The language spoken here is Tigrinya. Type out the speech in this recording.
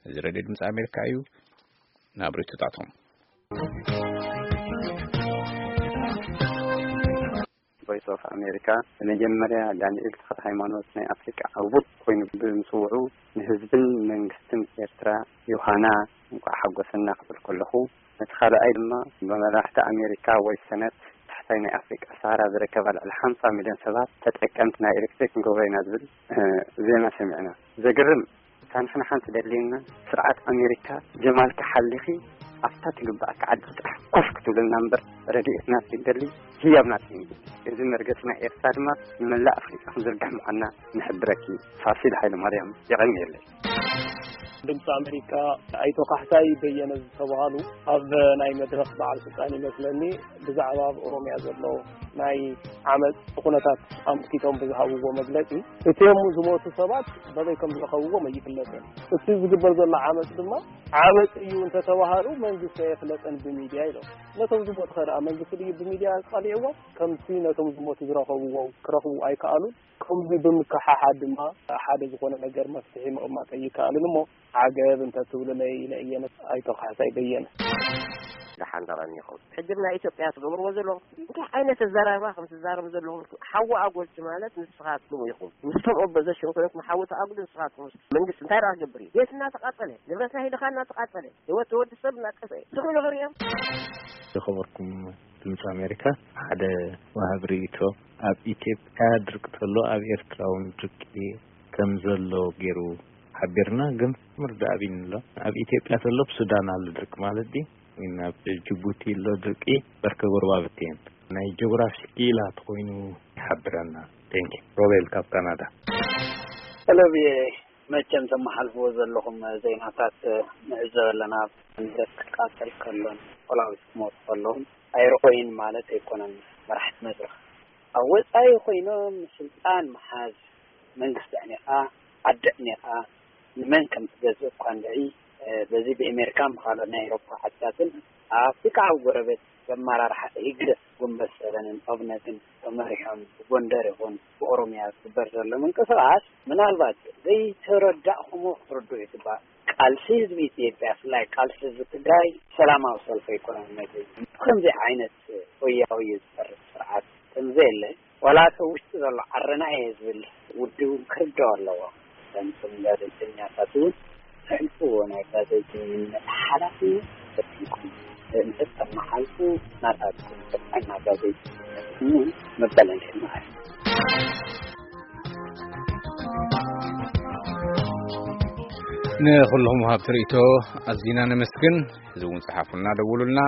እዚ ሬድዮ ድምፂ ኣሜሪካ እዩ። ናብ ርእይቶታቶም። ቮይስ ኦፍ ኣሜሪካ፣ ብመጀመርያ ዳንኤል ተኽለ ሃይማኖት ናይ ኣፍሪቃ ዕዉት ኮይኑ ብምስውዑ ንህዝብን መንግስትን ኤርትራ ዮሃና እንኳዕ ሓጎሰና ክብል ከለኹ፣ ነቲ ካልኣይ ድማ ብመራሕቲ ኣሜሪካ ወይ ሰነት ታሕታይ ናይ ኣፍሪቃ ሰሃራ ዝርከባ ልዕሊ ሓምሳ ሚልዮን ሰባት ተጠቀምቲ ናይ ኤሌክትሪክ ክንገብሮ ኢና ዝብል ዜና ሰሚዕና። ዘገርም፣ እታ ንሕና ሓንቲ ደልየና ስርዓት ኣሜሪካ ጀማልካ ሓሊኺ ኣብታ ትግባኣካ ዓዲ ጥራሕ ኮፍ ክትብለልና እምበር ረድኤት ናት ትደሊ ህያብ ናት። እዚ መርገፂ ናይ ኤርትራ ድማ ንመላእ ኣፍሪቃ ክንዝርግሕ ምዃንና ንሕብረኪ። ፋሲል ሃይለ ማርያም፣ የቐንየለይ። ድምፂ ኣሜሪካ፣ ኣይቶ ካሕሳይ በየነ ዝተባሃሉ ኣብ ናይ መድረኽ በዓል ስልጣን ይመስለኒ ብዛዕባ ኣብ ኦሮምያ ዘሎ ናይ ዓመፅ ኩነታት ኣምልኪቶም ብዝሃብዎ መግለፂ፣ እቲኦም ዝሞቱ ሰባት በበይ ከም ዝረኸብዎም ኣይፍለጥን። እቲ ዝግበር ዘሎ ዓመፅ ድማ ዓመፅ እዩ እንተተባሃሉ መንግስቲ ኣየፍለጠን ብሚድያ ኢሎም። ነቶም ዝሞቱ ከ ደኣ መንግስቲ ድዩ ብሚድያ ቀሊዕዎም? ከምቲ ነቶም ዝሞቱ ዝረኸብዎ ክረኽቡ ኣይከኣሉን። ከምዚ ብምክሕሓድ ድማ ሓደ ዝኾነ ነገር መፍትሒ ምቕማጥ ኣይከኣልን እሞ ዓገብ እንተትብሉለይ ኢለ እየ። ኣይቶ ካሕሳይ በየነ። ደሓን ደቐኒኹም። ሕጂ ናይ ኢትዮጵያ ትገብርዎ ዘለኹም እንታይ ዓይነት ኣዘራርባ ከም ትዛረቡ ዘለኹም? ሓዊ ኣጎልቲ ማለት ንስኻትኩም ኢኹም። ምስቶም ኦፖዘሽን ኮይንኩም ሓዊ ተኣጉሉ ንስኻትኩም። መንግስቲ እንታይ ደኣ ክገብር እዩ? ቤትና ተቓጸለ፣ ንብረትና ሂድኻ እናተቓጸለ፣ ህይወት ወዲ ሰብ እናጠፍአ ስምዑ ንኽርእዮም። ዝኸበርኩም ድምፂ ኣሜሪካ፣ ሓደ ወሃቢ ርእይቶ፣ ኣብ ኢትዮጵያ ድርቂ ተሎ ኣብ ኤርትራ እውን ድርቂ ከም ዘሎ ገይሩ ሓቢርና፣ ግን ምርዳእ ኣብይኒ ኣሎ። ኣብ ኢትዮጵያ ተሎ ኣብ ሱዳን ኣሎ ድርቂ ማለት ድዩ? ግን ኣብ ጅቡቲ ኣሎ ድርቂ፣ በርከ ጎረባብቲ እየን። ናይ ጂኦግራፊ ክኢላ ተኾይኑ ይሓብረና። ቴንኪ። ሮቤል ካብ ካናዳ። ሰለብየ፣ መቸም ተመሓልፍዎ ዘለኹም ዜናታት ንዕዘብ ኣለና። ንብረት ክቃጸል ከሎን ፖላዊስ ክሞቱ ከለውን ኣይረኾይን ማለት ኣይኮነን። መራሕቲ መድረኽ ኣብ ወጻኢ ኮይኖም ስልጣን መሓዝ፣ መንግስቲ ኣዕኒኻ፣ ዓዲ ኣዕኒኻ፣ ንመን ከም ትገዝእ እኳ እንድዒ፣ እ፣ በዚ ብኣሜሪካን ብኻልኦት ናይ ኤውሮፓ ዓድታትን ኣብ ኣፍሪካ ኣብ ጎረቤት በመራርሓ ህግደፍ፣ ጉንበት ሰበንን ኦብነግን ተመሪሖም ብጎንደር ይኹን ብኦሮምያ ዝግበር ዘሎ ምንቅስቓስ ምናልባት ዘይተረዳእኩሞ ክትርድኡ ይግባእ። ቃልሲ ህዝቢ ኢትዮጵያ፣ ብፍላይ ቃልሲ ህዝቢ ትግራይ ሰላማዊ ሰልፊ ኣይኮነን። ነዚ ከምዚ ዓይነት ሆያ ሆየ ዝፈርስ ስርዓት ከምዘየለ ዋላ እቲ ውሽጢ ዘሎ ዓረና እየ ዝብል ውድብ እውን ክርድኦ ኣለዎ። ከምቶም ጋዜጠኛታት እውን ዘሕልፍዎ ናይ ጋዜጠኝነት ሓላፍነት ተጠቂምኩም እንተተመሓልፉ ናታትኩም ጥዕና ጋዜጠኝነት እውን መበለኒ ማለት እዩ። ንኹልኹም ወሃብቲ ርእይቶ ኣዚና ነመስግን። እዚ እውን ጸሓፉና፣ ደውሉልና።